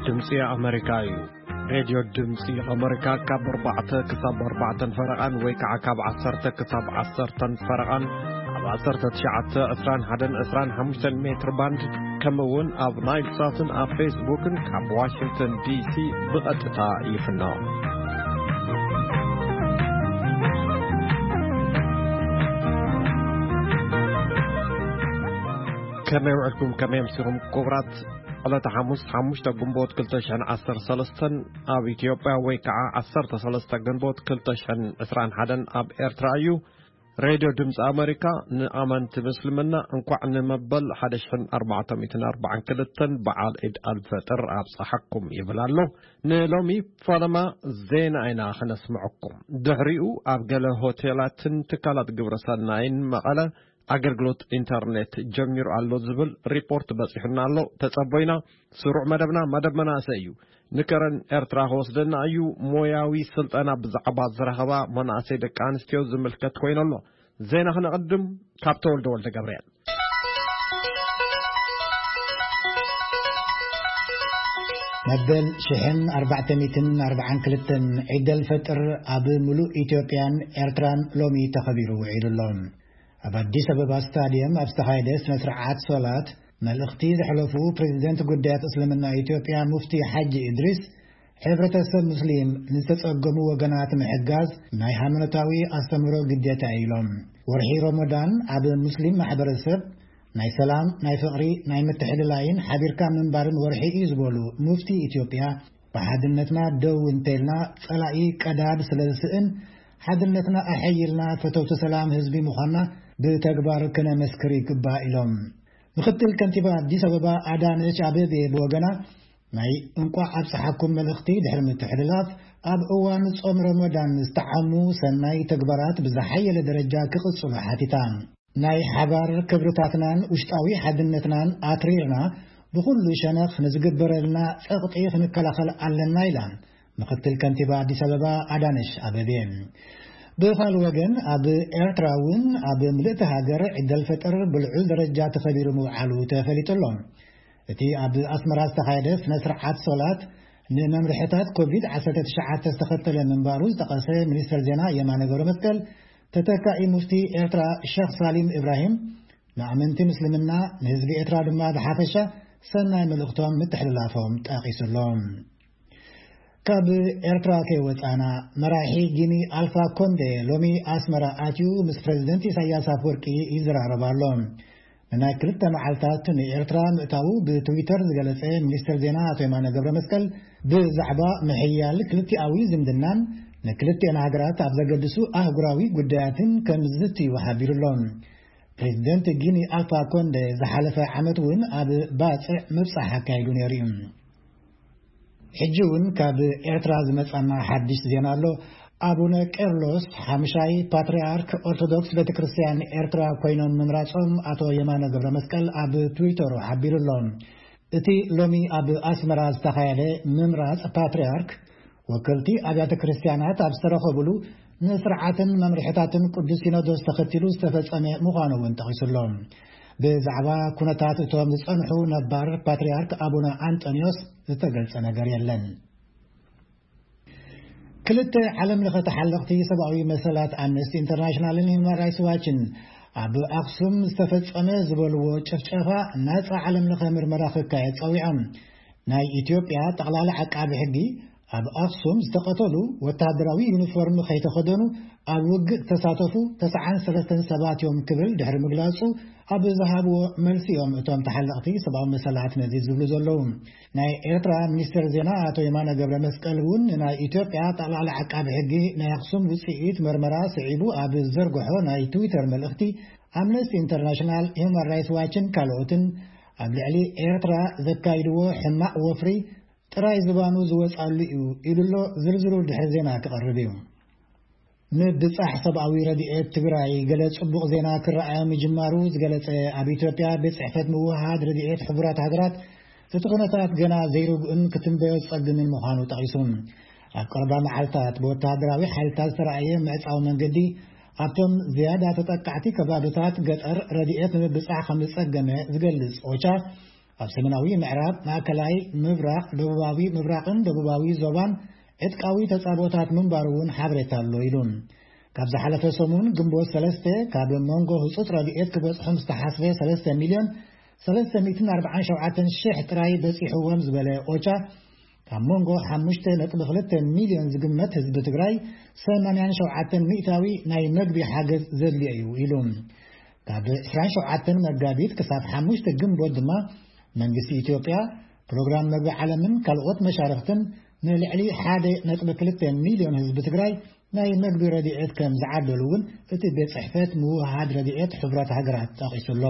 ድምፂ ኣመሪካ እዩ። ሬድዮ ድምፂ ኣመሪካ ካብ ኣርባዕተ ክሳብ ኣርባዕተን ፈረቓን ወይ ከዓ ካብ ዓሰርተ ክሳብ ዓሰርተን ፈረቓን ኣብ ዓሰርተ ትሽዓተ ዕስራን ሓደን ዕስራን ሓሙሽተን ሜትር ባንድ፣ ከምኡ እውን ኣብ ናይል ሳትን ኣብ ፌስቡክን ካብ ዋሽንግተን ዲሲ ብቐጥታ ይፍኖ። ከመይ ውዕልኩም? ከመይ ኣምሲኹም? ክቡራት፣ ዕለተ ሓሙስ ሓሙሽተ ግንቦት ክልተ ሽሕን ዓሰርተ ሰለስተን ኣብ ኢትዮጵያ፣ ወይ ከዓ ዓሰርተ ሰለስተ ግንቦት ክልተ ሽሕን ዕስራን ሓደን ኣብ ኤርትራ እዩ። ሬድዮ ድምፂ ኣመሪካ ንኣመንቲ ምስልምና እንኳዕ ንመበል ሓደ ሽሕን ኣርባዕተ ሚእትን ኣርባዓን ክልተን በዓል ዒድ ኣልፈጥር ኣብፀሓኩም ይብል ኣሎ። ንሎሚ ፈለማ ዜና ኢና ክነስምዐኩም። ድሕሪኡ ኣብ ገለ ሆቴላትን ትካላት ግብረ ሰናይን መቐለ ኣገልግሎት ኢንተርኔት ጀሚሩ ኣሎ ዝብል ሪፖርት በፂሑና ኣሎ። ተፀቦይና ስሩዕ መደብና፣ መደብ መናእሰይ እዩ። ንከረን ኤርትራ ክወስደና እዩ። ሞያዊ ስልጠና ብዛዕባ ዝረኸባ መናእሰይ ደቂ ኣንስትዮ ዝምልከት ኮይኑ ኣሎ። ዜና ክነቕድም ካብ ተወልደ ወልደ ገብርኤል። መበል ሽሕን ኣርባዕተ ሚእትን ኣርባዓን ክልተን ዒደል ፈጥር ኣብ ምሉእ ኢትዮጵያን ኤርትራን ሎሚ ተኸቢሩ ውዒሉ ኣሎ። ኣብ ኣዲስ ኣበባ ስታዲየም ኣብ ዝተኻየደ ስነ ስርዓት ሶላት መልእኽቲ ዘሕለፉ ፕሬዚደንት ጉዳያት እስልምና ኢትዮጵያ ሙፍቲ ሓጂ እድሪስ፣ ሕብረተሰብ ሙስሊም ንዝተጸገሙ ወገናት ምሕጋዝ ናይ ሃይማኖታዊ ኣስተምህሮ ግዴታ እዩ ኢሎም። ወርሒ ሮሞዳን ኣብ ሙስሊም ማሕበረሰብ ናይ ሰላም፣ ናይ ፍቕሪ፣ ናይ ምትሕልላይን ሓቢርካ ምንባርን ወርሒ እዩ ዝበሉ ሙፍቲ ኢትዮጵያ፣ ብሓድነትና ደው እንተልና ጸላኢ ቀዳድ ስለ ዝስእን፣ ሓድነትና ኣሐይልና ፈተውቲ ሰላም ህዝቢ ምዃንና ብተግባር ክነመስክር ይግባእ ኢሎም። ምክትል ከንቲባ ኣዲስ ኣበባ ኣዳነች ኣቤቤ ብወገና፣ ናይ እንቋዕ ኣብጽሓኩም መልእኽቲ ድሕሪ ምትሕልላፍ፣ ኣብ እዋን ጾም ረመዳን ዝተዓሙ ሰናይ ተግባራት ብዝሓየለ ደረጃ ክቕጽሉ ሓቲታ። ናይ ሓባር ክብርታትናን ውሽጣዊ ሓድነትናን ኣትሪርና ብኹሉ ሸነኽ ንዝግበረልና ጸቕጢ ክንከላኸል ኣለና ኢላ ምክትል ከንቲባ ኣዲስ ኣበባ ኣዳነሽ ኣበቤ። ብኻልእ ወገን ኣብ ኤርትራ እውን ኣብ ምልእቲ ሃገር ዒደል ፈጥር ብልዑል ደረጃ ተኸቢሩ ምውዓሉ ተፈሊጡ ኣሎ። እቲ ኣብ ኣስመራ ዝተኻየደ ስነ ስርዓት ሶላት ንመምርሕታት ኮቪድ ዓሰርተ ትሽዓተ ዝተኸተለ ምንባሩ ዝጠቐሰ ሚኒስተር ዜና የማነ ገብረ መስቀል፣ ተተካኢ ሙፍቲ ኤርትራ ሸኽ ሳሊም ኢብራሂም ንኣመንቲ ምስልምና፣ ንህዝቢ ኤርትራ ድማ ብሓፈሻ ሰናይ መልእኽቶም ምትሕልላፎም ጠቒሱ ኣሎ። ካብ ኤርትራ ከይወጻና፣ መራሒ ጊኒ ኣልፋ ኮንዴ ሎሚ ኣስመራ ኣትዩ ምስ ፕሬዚደንት ኢሳያስ ኣፈወርቂ ይዘራረብ ኣሎ። ንናይ ክልተ መዓልታት ንኤርትራ ምእታዉ ብትዊተር ዝገለጸ ሚኒስተር ዜና ኣቶ የማነ ገብረ መስቀል፣ ብዛዕባ ምሕያል ክልቲኣዊ ዝምድናን ንክልቲኤን ሃገራት ኣብ ዘገድሱ ኣህጉራዊ ጉዳያትን ከም ዝዝትዩ ሓቢሩ ኣሎ። ፕሬዚደንት ጊኒ ኣልፋ ኮንደ ዝሓለፈ ዓመት እውን ኣብ ባጽዕ ምብጻሕ ኣካይዱ ነይሩ እዩ። ሕጂ እውን ካብ ኤርትራ ዝመጻና ሓድሽ ዜና ኣሎ። ኣቡነ ቄርሎስ ሓሙሻይ ፓትርያርክ ኦርቶዶክስ ቤተ ክርስቲያን ኤርትራ ኮይኖም ምምራጾም ኣቶ የማነ ገብረ መስቀል ኣብ ትዊተሩ ሓቢሩ ኣሎ። እቲ ሎሚ ኣብ ኣስመራ ዝተኻየደ ምምራጽ ፓትርያርክ፣ ወከልቲ ኣብያተ ክርስቲያናት ኣብ ዝተረኸቡሉ፣ ንስርዓትን መምርሕታትን ቅዱስ ሲኖዶስ ተኸቲሉ ዝተፈጸመ ምዃኑ እውን ጠቒሱ ኣሎ። ብዛዕባ ኩነታት እቶም ዝጸንሑ ነባር ፓትርያርክ ኣቡነ ኣንጠንዮስ ዝተገልጸ ነገር የለን። ክልተ ዓለም ለኸ ተሓለቕቲ ሰብኣዊ መሰላት ኣምነስቲ ኢንተርናሽናልን ሂውማን ራይትስ ዋችን፣ ኣብ ኣኽሱም ዝተፈጸመ ዝበልዎ ጭፍጨፋ ናጻ ዓለም ለኸ ምርመራ ክካየድ ጸዊዖም። ናይ ኢትዮጵያ ጠቕላሊ ዓቃቢ ሕጊ፣ ኣብ ኣኽሱም ዝተቐተሉ ወተሃደራዊ ዩኒፎርም ከይተኸደኑ ኣብ ውግእ ዝተሳተፉ ተስዓን ሰለስተን ሰባት እዮም ክብል ድሕሪ ምግላጹ፣ ኣብ ዝሃብዎ መልሲ እዮም እቶም ተሓለቕቲ ሰብኣዊ መሰላት ነዚ ዝብሉ ዘለዉ። ናይ ኤርትራ ሚኒስትር ዜና ኣቶ የማነ ገብረ መስቀል እውን፣ ናይ ኢትዮጵያ ጠቕላሊ ዓቃቢ ሕጊ ናይ ኣኽሱም ውጽኢት መርመራ ስዒቡ ኣብ ዝዘርግሖ ናይ ትዊተር መልእኽቲ፣ ኣምነስቲ ኢንተርናሽናል፣ ሂውማን ራይትስ ዋችን ካልኦትን ኣብ ልዕሊ ኤርትራ ዘካይድዎ ሕማቕ ወፍሪ ጥራይ ዝባኑ ዝወጻሉ እዩ ኢሉ ኣሎ። ዝርዝሩ ድሕሪ ዜና ክቐርብ እዩ። ምብጻሕ ሰብኣዊ ረድኤት ትግራይ ገለ ጽቡቕ ዜና ክረኣዮ ምጅማሩ ዝገለጸ ኣብ ኢትዮጵያ ቤት ጽሕፈት ምውሃድ ረድኤት ሕቡራት ሃገራት፣ እቲ ኩነታት ገና ዘይርጉእን ክትንበዮ ዝጸግምን ምዃኑ ጠቒሱ። ኣብ ቀረባ መዓልታት ብወተሃደራዊ ሓይልታት ዝተራእየ ምዕጻው መንገዲ ኣብቶም ዝያዳ ተጠቃዕቲ ከባብታት ገጠር ረድኤት ንምብጻሕ ከም ዝጸገመ ዝገልጽ ኦቻ፣ ኣብ ሰሜናዊ ምዕራብ፣ ማእከላይ ምብራቕ፣ ደቡባዊ ምብራቕን ደቡባዊ ዞባን ዕጥቃዊ ተጻቦታት ምንባሩ እውን ሓበሬታ ኣሎ ኢሉ። ካብ ዝሓለፈ ሰሙን ግንቦት ሰለስተ ካብ መንጎ ህጹጽ ረድኤት ክበጽሖም ዝተሓስበ ሰለስተ ሚልዮን ሰለስተ ሚእትን ኣርባዓን ሸውዓተን ሽሕ ጥራይ በጺሕዎም ዝበለ ኦቻ፣ ካብ መንጎ ሓሙሽተ ነጥቢ ክልተ ሚልዮን ዝግመት ህዝቢ ትግራይ ሰማንያን ሸውዓተን ሚእታዊ ናይ መግቢ ሓገዝ ዘድልዮ እዩ ኢሉ። ካብ ዕስራን ሸውዓተን መጋቢት ክሳብ ሓሙሽተ ግንቦት ድማ መንግስቲ ኢትዮጵያ፣ ፕሮግራም መግቢ ዓለምን ካልኦት መሻርኽትን ንልዕሊ ሓደ ነጥቢ ክልተ ሚልዮን ህዝቢ ትግራይ ናይ መግቢ ረድኤት ከም ዝዓደሉ እውን እቲ ቤት ጽሕፈት ምውሃድ ረድኤት ሕቡራት ሃገራት ጠቒሱ ኣሎ።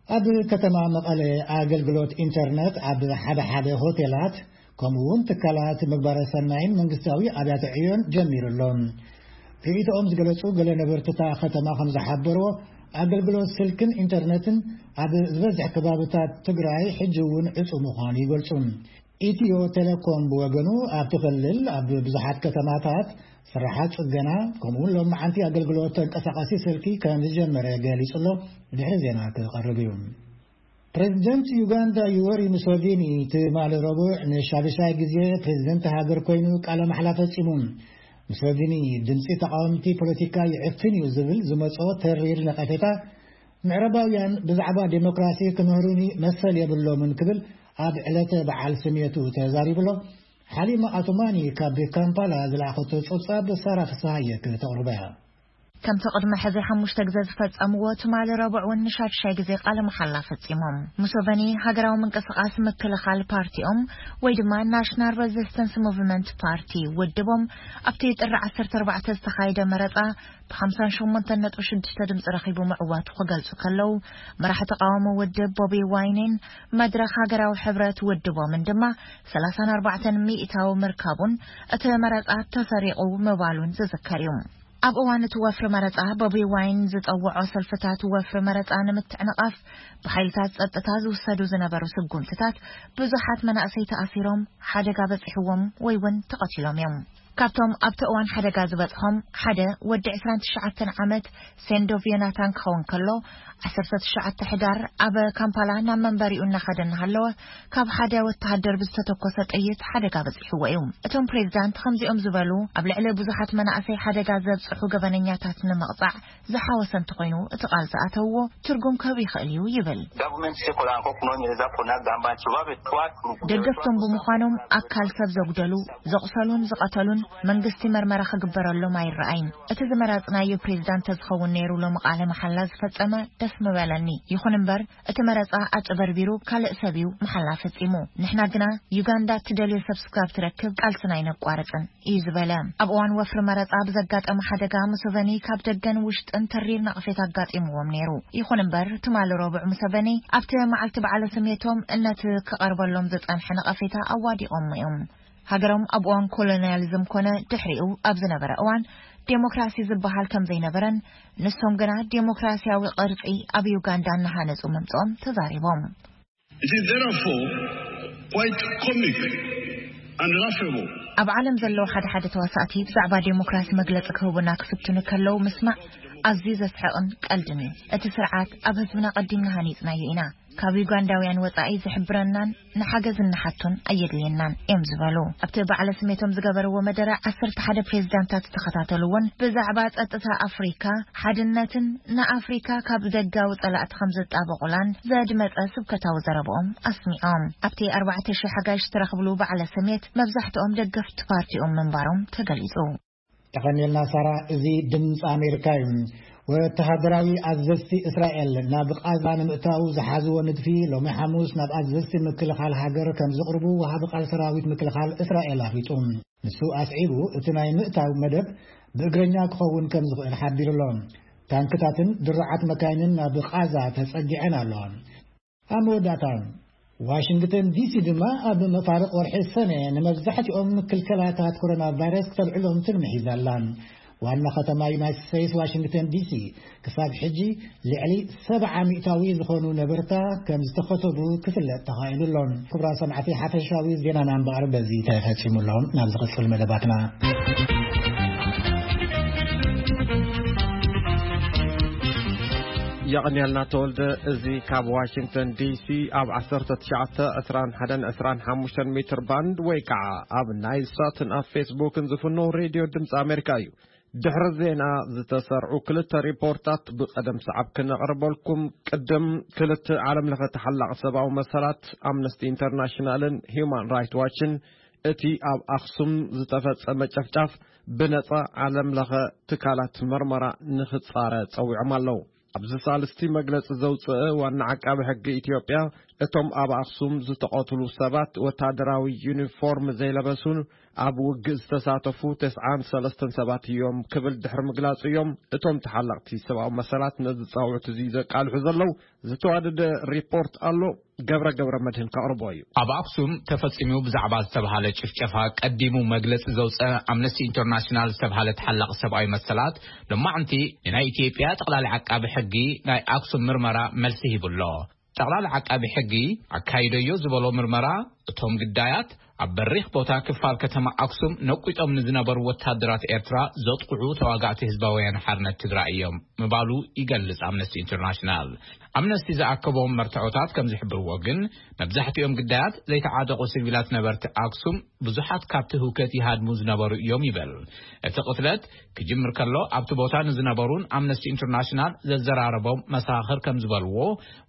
ኣብ ከተማ መቐለ ኣገልግሎት ኢንተርነት ኣብ ሓደ ሓደ ሆቴላት ከምኡ እውን ትካላት ምግባረ ሰናይን መንግስታዊ ኣብያተ ዕዮን ጀሚሩ ኣሎ። ርእይቶኦም ዝገለጹ ገለ ነበርቲ እታ ከተማ ከም ዝሓበርዎ፣ ኣገልግሎት ስልክን ኢንተርነትን ኣብ ዝበዝሕ ከባብታት ትግራይ ሕጂ እውን ዕጹው ምዃኑ ይገልጹ። ኢትዮ ቴሌኮም ብወገኑ፣ ኣብቲ ክልል ኣብ ብዙሓት ከተማታት ስራሓት ጽገና ከምኡ እውን ሎማዓንቲ ኣገልግሎት ተንቀሳቓሲ ስልኪ ከም ዝጀመረ ገሊጹ ኣሎ። ድሕሪ ዜና ክቐርብ እዩ። ፕሬዚደንት ዩጋንዳ ዩወሪ ሙሶቪኒ ትማሊ ረቡዕ ንሻድሻይ ግዜ ፕሬዚደንት ሃገር ኮይኑ ቃለ ማሕላ ፈጺሙ። ሙሶቪኒ፣ ድምጺ ተቃወምቲ ፖለቲካ ይዕፍን እዩ ዝብል ዝመጾ ተሪር ነቀፌታ፣ ምዕራባውያን ብዛዕባ ዴሞክራሲ ክምህሩኒ መሰል የብሎምን ክብል ኣብ ዕለተ በዓል ስሜቱ ተዛሪቡ ኣሎ። ሓሊማ ኣቱማኒ ካብ ካምፓላ ዝለኣኸቶ ጸብጻብ ሳራ ፍስሃየ ክተቕርቦ እያ። ከምቲ ቅድሚ ሕዚ ሓሙሽተ ግዜ ዝፈጸምዎ፣ ትማሊ ረቡዕ እውን ንሻድሻይ ግዜ ቃለ መሓላ ፈጺሞም። ሙሶቨኒ ሃገራዊ ምንቅስቓስ ምክልኻል ፓርቲኦም ወይ ድማ ናሽናል ሬዚስተንስ ሙቭመንት ፓርቲ ውድቦም ኣብቲ ጥሪ ዓሰርተ ኣርባዕተ ዝተኻየደ መረጻ ብ ሓምሳን ሸሞንተን ነጥቢ ሽዱሽተ ድምፂ ረኺቡ ምዕዋቱ ክገልጹ ከለዉ፣ መራሒ ተቃዋሚ ውድብ ቦቢ ዋይኒን መድረኽ ሃገራዊ ሕብረት ውድቦምን ድማ ሰላሳን ኣርባዕተን ሚእታዊ ምርካቡን እቲ መረጻ ተሰሪቑ ምባሉን ዝዝከር እዩ። ኣብ እዋን እቲ ወፍሪ መረጻ፣ ቦቢ ዋይን ዝጸውዖ ሰልፍታት ወፍሪ መረጻ ንምትዕንቓፍ ብሓይልታት ጸጥታ ዝውሰዱ ዝነበሩ ስጉምትታት ብዙሓት መናእሰይ ተኣሲሮም፣ ሓደጋ በጺሕዎም ወይ እውን ተቐቲሎም እዮም። ካብቶም ኣብቲ እዋን ሓደጋ ዝበጽሖም ሓደ ወዲ ዕስራን ትሽዓተን ዓመት ሴንዶቭ ዮናታን ክኸውን ከሎ፣ ዓሰርተ ትሽዓተ ሕዳር ኣብ ካምፓላ ናብ መንበሪኡ እናኸደ እናሃለወ ካብ ሓደ ወተሃደር ብዝተተኮሰ ጥይት ሓደጋ በጺሕዎ እዩ። እቶም ፕሬዚዳንት ከምዚኦም ዝበሉ ኣብ ልዕሊ ብዙሓት መናእሰይ ሓደጋ ዘብጽሑ ገበነኛታት ንምቕጻዕ ዝሓወሰ እንተኾይኑ፣ እቲ ቃል ዝኣተውዎ ትርጉም ክህብ ይኽእል እዩ ይብል። Government se kola ko kuno nyereza kona gamba chivabe twatu ደገፍቶም ብምዃኖም ኣካል ሰብ ዘጉደሉ፣ ዘቑሰሉን ዝቐተሉን መንግስቲ መርመራ ክግበረሎም ኣይረኣይን። እቲ ዝመረጽናዮ ፕሬዚዳንት ተዝኸውን ነይሩ ሎሚ ቃለ መሓላ ዝፈጸመ ደስ ምበለኒ። ይኹን እምበር እቲ መረጻ ኣጭበርቢሩ ካልእ ሰብ እዩ መሓላ ፈጺሙ። ንሕና ግና ዩጋንዳ እትደልዮ ሰብ ስጋብ ትረክብ ቃልስና ኣይነቋርጽን እዩ ዝበለ። ኣብ እዋን ወፍሪ መረጻ ብዘጋጠመ ሓደጋ ሙሶቨኒ ካብ ደገን ውሽጥን ተሪር ነቐፌታ ኣጋጢምዎም ነይሩ። ይኹን እምበር ትማሊ ረቡዕ ሙሶቨኒ ኣብቲ መዓልቲ በዓለ ስሜቶም ነቲ ክቐርበሎም ዝጸንሐ ነቐፌታ ኣዋዲቖሞ እዮም። ሃገሮም ኣብ እዋን ኮሎኒያሊዝም ኮነ ድሕሪኡ ኣብ ዝነበረ እዋን ዴሞክራሲ ዝበሃል ከም ዘይነበረን ንሶም ግና ዴሞክራሲያዊ ቅርጺ ኣብ ዩጋንዳ እናሃነጹ ምምጽኦም ተዛሪቦም። It is therefore quite comic and laughable. ኣብ ዓለም ዘለዉ ሓደ ሓደ ተዋሳእቲ ብዛዕባ ዴሞክራሲ መግለጺ ክህቡና ክፍትኑ ከለዉ ምስማዕ ኣዝዩ ዘስሕቕን ቀልድን እዩ። እቲ ስርዓት ኣብ ህዝብና ቀዲምና ሃኒጽናዮ ኢና። ካብ ዩጋንዳውያን ወጻኢ ዝሕብረናን ንሓገዝ እንሓቶን ኣየድልየናን እዮም ዝበሉ። ኣብቲ በዓለ ስሜቶም ዝገበርዎ መደረ ዓሰርተ ሓደ ፕሬዚዳንታት ዝተኸታተሉ እውን ብዛዕባ ጸጥታ ኣፍሪካ፣ ሓድነትን ንኣፍሪካ ካብ ደጋዊ ጸላእቲ ከም ዝጣበቑላን ዘድመጸ ስብከታዊ ዘረብኦም ኣስሚዖም። ኣብቲ ኣርባዕተ ሺሕ ሓጋይሽ ዝተረኽብሉ በዓለ ስሜት መብዛሕትኦም ደገፍቲ ፓርቲኦም ምንባሮም ተገሊጹ። የቐንየልና ሳራ፣ እዚ ድምፂ ኣሜሪካ እዩ። ወተሃደራዊ ኣዘዝቲ እስራኤል ናብ ቓዛ ንምእታው ዝሓዝዎ ንድፊ ሎሚ ሓሙስ ናብ ኣዘዝቲ ምክልኻል ሃገር ከም ዝቕርቡ ወሃቢ ቃል ሰራዊት ምክልኻል እስራኤል ኣፍሊጡ። ንሱ ኣስዒቡ፣ እቲ ናይ ምእታው መደብ ብእግረኛ ክኸውን ከም ዝኽእል ሓቢሩ ኣሎ። ታንክታትን ድሩዓት መካይንን ናብ ቓዛ ተጸጊዐን ኣለዋ። ኣብ መወዳእታ፣ ዋሽንግተን ዲሲ ድማ ኣብ መፋርቕ ወርሒ ሰነ ንመብዛሕትኦም ክልከላታት ኮሮና ቫይረስ ክተልዕሎም ትልሚ ሒዛ ኣላ። ዋና ከተማ ዩናይትድ ስቴትስ ዋሽንግተን ዲሲ ክሳብ ሕጂ ልዕሊ ሰብዓ ሚእታዊ ዝኾኑ ነበርታ ከም ዝተኸተቡ ክፍለጥ ተኻኢሉ ኣሎ። ክቡራት ሰማዕቲ፣ ሓፈሻዊ ዜናና እምበኣር በዚ ተፈጺሙ ኣሎ። ናብ ዝቕጽል መደባትና። የቐንየልና ተወልደ። እዚ ካብ ዋሽንግተን ዲሲ ኣብ ዓሰርተ ትሽዓተ፣ ዕስራን ሓደን፣ ዕስራን ሓሙሽተን ሜትር ባንድ ወይ ከዓ ኣብ ናይል ሳትን ኣብ ፌስቡክን ዝፍኖ ሬድዮ ድምፂ ኣሜሪካ እዩ። ድሕሪ ዜና ዝተሰርዑ ክልተ ሪፖርታት ብቐደም ሰዓብ ክነቕርበልኩም። ቅድም ክልተ ዓለም ለኸ ተሓላቕ ሰብኣዊ መሰላት ኣምነስቲ ኢንተርናሽናልን ሂውማን ራይት ዋችን እቲ ኣብ ኣኽሱም ዝተፈጸመ ጨፍጫፍ ብነጻ ዓለም ለኸ ትካላት መርመራ ንኽጻረ ጸዊዖም ኣለዉ። ኣብዚ ሳልስቲ መግለጺ ዘውጽአ ዋና ዓቃቢ ሕጊ ኢትዮጵያ፣ እቶም ኣብ ኣኽሱም ዝተቐትሉ ሰባት ወታደራዊ ዩኒፎርም ዘይለበሱን ኣብ ውግእ ዝተሳተፉ ተስዓን ሰለስተን ሰባት እዮም ክብል ድሕሪ ምግላጹ እዮም እቶም ተሓለቕቲ ሰብኣዊ መሰላት ነዚ ጻውዕት እዚ ዘቃልሑ ዘለዉ። ዝተዋደደ ሪፖርት ኣሎ። ገብረ ገብረ መድህን ከቕርቦ እዩ። ኣብ ኣክሱም ተፈጺሙ ብዛዕባ ዝተባሃለ ጭፍጨፋ ቀዲሙ መግለጺ ዘውፀ ኣምነስቲ ኢንተርናሽናል ዝተባሃለ ተሓላቂ ሰብኣዊ መሰላት፣ ሎማዕንቲ ንናይ ኢትዮጵያ ጠቕላሊ ዓቃቢ ሕጊ ናይ ኣክሱም ምርመራ መልሲ ሂቡ ኣሎ። ጠቕላሊ ዓቃቢ ሕጊ ኣካይደዮ ዝበሎ ምርመራ፣ እቶም ግዳያት ኣብ በሪኽ ቦታ ክፋል ከተማ ኣክሱም ነቂጦም ንዝነበሩ ወታደራት ኤርትራ ዘጥቕዑ ተዋጋእቲ ህዝባዊ ወያነ ሓርነት ትግራይ እዮም ምባሉ ይገልጽ ኣምነስቲ ኢንተርናሽናል። ኣምነስቲ ዝኣከቦም መርትዖታት ከም ዝሕብርዎ ግን፣ መብዛሕትኦም ግዳያት ዘይተዓጠቑ ሲቪላት ነበርቲ ኣክሱም ብዙሓት ካብቲ ህውከት ይሃድሙ ዝነበሩ እዮም ይብል። እቲ ቅትለት ክጅምር ከሎ ኣብቲ ቦታ ንዝነበሩን ኣምነስቲ ኢንተርናሽናል ዘዘራረቦም መሳኽር ከም ዝበልዎ፣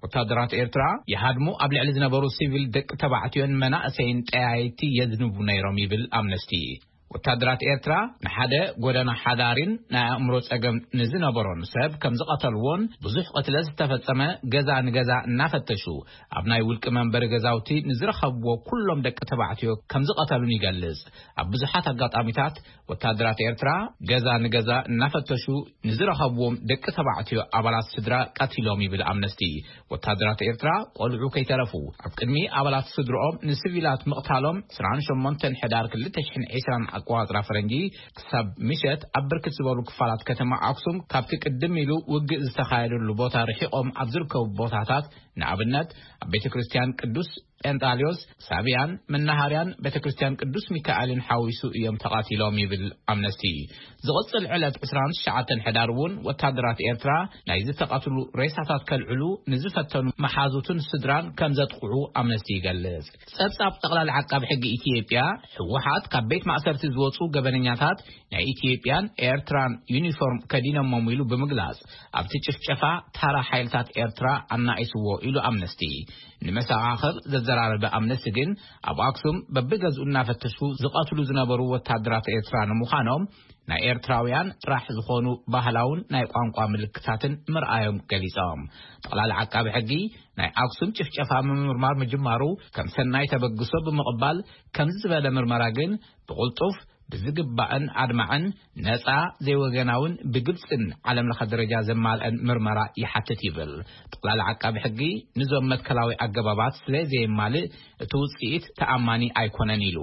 ወታደራት ኤርትራ ይሃድሙ ኣብ ልዕሊ ዝነበሩ ሲቪል ደቂ ተባዕትዮን መናእሰይን ጠያይቲ የዝንቡ ነይሮም ይብል ኣምነስቲ። ወታደራት ኤርትራ ንሓደ ጎደና ሓዳሪን ናይ ኣእምሮ ጸገም ንዝነበሮን ሰብ ከም ዝቐተልዎን፣ ብዙሕ ቅትለት ዝተፈጸመ ገዛ ንገዛ እናፈተሹ ኣብ ናይ ውልቂ መንበሪ ገዛውቲ ንዝረኸብዎ ኩሎም ደቂ ተባዕትዮ ከም ዝቐተሉን ይገልጽ። ኣብ ብዙሓት ኣጋጣሚታት ወታደራት ኤርትራ ገዛ ንገዛ እናፈተሹ ንዝረኸብዎም ደቂ ተባዕትዮ ኣባላት ስድራ ቀቲሎም ይብል ኣምነስቲ። ወታደራት ኤርትራ ቆልዑ ከይተረፉ ኣብ ቅድሚ ኣባላት ስድርኦም ንሲቪላት ምቕታሎም ዕስራን ሸሞንተን ሕዳር ክልተ ሽሕን ዕስራን ኣቆጻጽራ ፈረንጂ ክሳብ ምሸት ኣብ ብርክት ዝበሉ ክፋላት ከተማ ኣክሱም ካብቲ ቅድም ኢሉ ውግእ ዝተኻየደሉ ቦታ ርሒቖም ኣብ ዝርከቡ ቦታታት፣ ንኣብነት ኣብ ቤተ ክርስቲያን ቅዱስ ጴንጣልዮስ፣ ሳብያን፣ መናሃርያን ቤተ ክርስቲያን ቅዱስ ሚካኤልን ሓዊሱ እዮም ተቐቲሎም ይብል ኣምነስቲ። ዝቕጽል ዕለት ዕስራን ትሽዓተን ሕዳር እውን ወታደራት ኤርትራ ናይ ዝተቐትሉ ሬሳታት ከልዕሉ ንዝፈተኑ መሓዙትን ስድራን ከም ዘጥቕዑ ኣምነስቲ ይገልጽ። ጸብጻብ ጠቕላሊ ዓቃቢ ሕጊ ኢትዮጵያ፣ ህወሓት ካብ ቤት ማእሰርቲ ዝወጹ ገበነኛታት ናይ ኢትዮጵያን ኤርትራን ዩኒፎርም ከዲኖሞም ኢሉ ብምግላጽ፣ ኣብቲ ጭፍጨፋ ታራ ሓይልታት ኤርትራ ኣናኢስዎ ኢሉ ኣምነስቲ። ንመሰኻኽር ዘዘራረበ ኣምነስቲ ግን፣ ኣብ ኣክሱም በብገዝኡ እናፈተሹ ዝቐትሉ ዝነበሩ ወታደራት ኤርትራ ንምዃኖም ናይ ኤርትራውያን ጥራሕ ዝኾኑ ባህላውን ናይ ቋንቋ ምልክታትን ምርኣዮም ገሊጾም። ጠቕላሊ ዓቃቢ ሕጊ ናይ ኣክሱም ጭፍጨፋ ምምርማር ምጅማሩ ከም ሰናይ ተበግሶ ብምቕባል፣ ከምዚ ዝበለ ምርመራ ግን ብቕልጡፍ፣ ብዝግባእን ኣድማዕን፣ ነጻ፣ ዘይወገናውን ብግልጽን ዓለም ለኸ ደረጃ ዘማልአን ምርመራ ይሓትት ይብል። ጠቕላሊ ዓቃቢ ሕጊ ንዞም መትከላዊ ኣገባባት ስለ ዘየማልእ፣ እቲ ውጽኢት ተኣማኒ ኣይኮነን ኢሉ።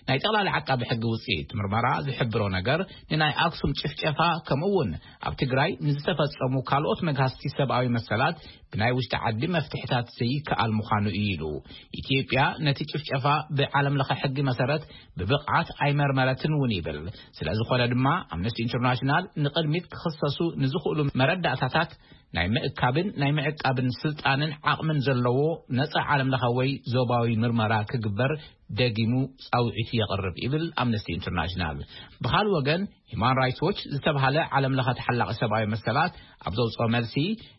ናይ ጠቕላሊ ዓቃቢ ሕጊ ውጽኢት ምርመራ ዝሕብሮ ነገር፣ ንናይ ኣክሱም ጭፍጨፋ ከምኡ እውን ኣብ ትግራይ ንዝተፈጸሙ ካልኦት መግሃስቲ ሰብኣዊ መሰላት ብናይ ውሽጢ ዓዲ መፍትሕታት ዘይከኣል ምዃኑ እዩ ኢሉ። ኢትዮጵያ ነቲ ጭፍጨፋ ብዓለም ለኸ ሕጊ መሰረት ብብቕዓት ኣይመርመረትን እውን ይብል። ስለ ዝኾነ ድማ ኣምነስቲ ኢንተርናሽናል ንቕድሚት ክኽሰሱ ንዝኽእሉ መረዳእታታት ናይ ምእካብን ናይ ምዕቃብን ስልጣንን ዓቕምን ዘለዎ ነጻ ዓለም ለኸ ወይ ዞባዊ ምርመራ ክግበር ደጊሙ ጻውዒቱ የቕርብ ይብል ኣምነስቲ ኢንተርናሽናል። ብኻልእ ወገን፣ ሂማን ራይትስ ዎች ዝተባሃለ ዓለም ለኸ ተሓላቒ ሰብኣዊ መሰላት ኣብ ዘውፅኦ መልሲ፣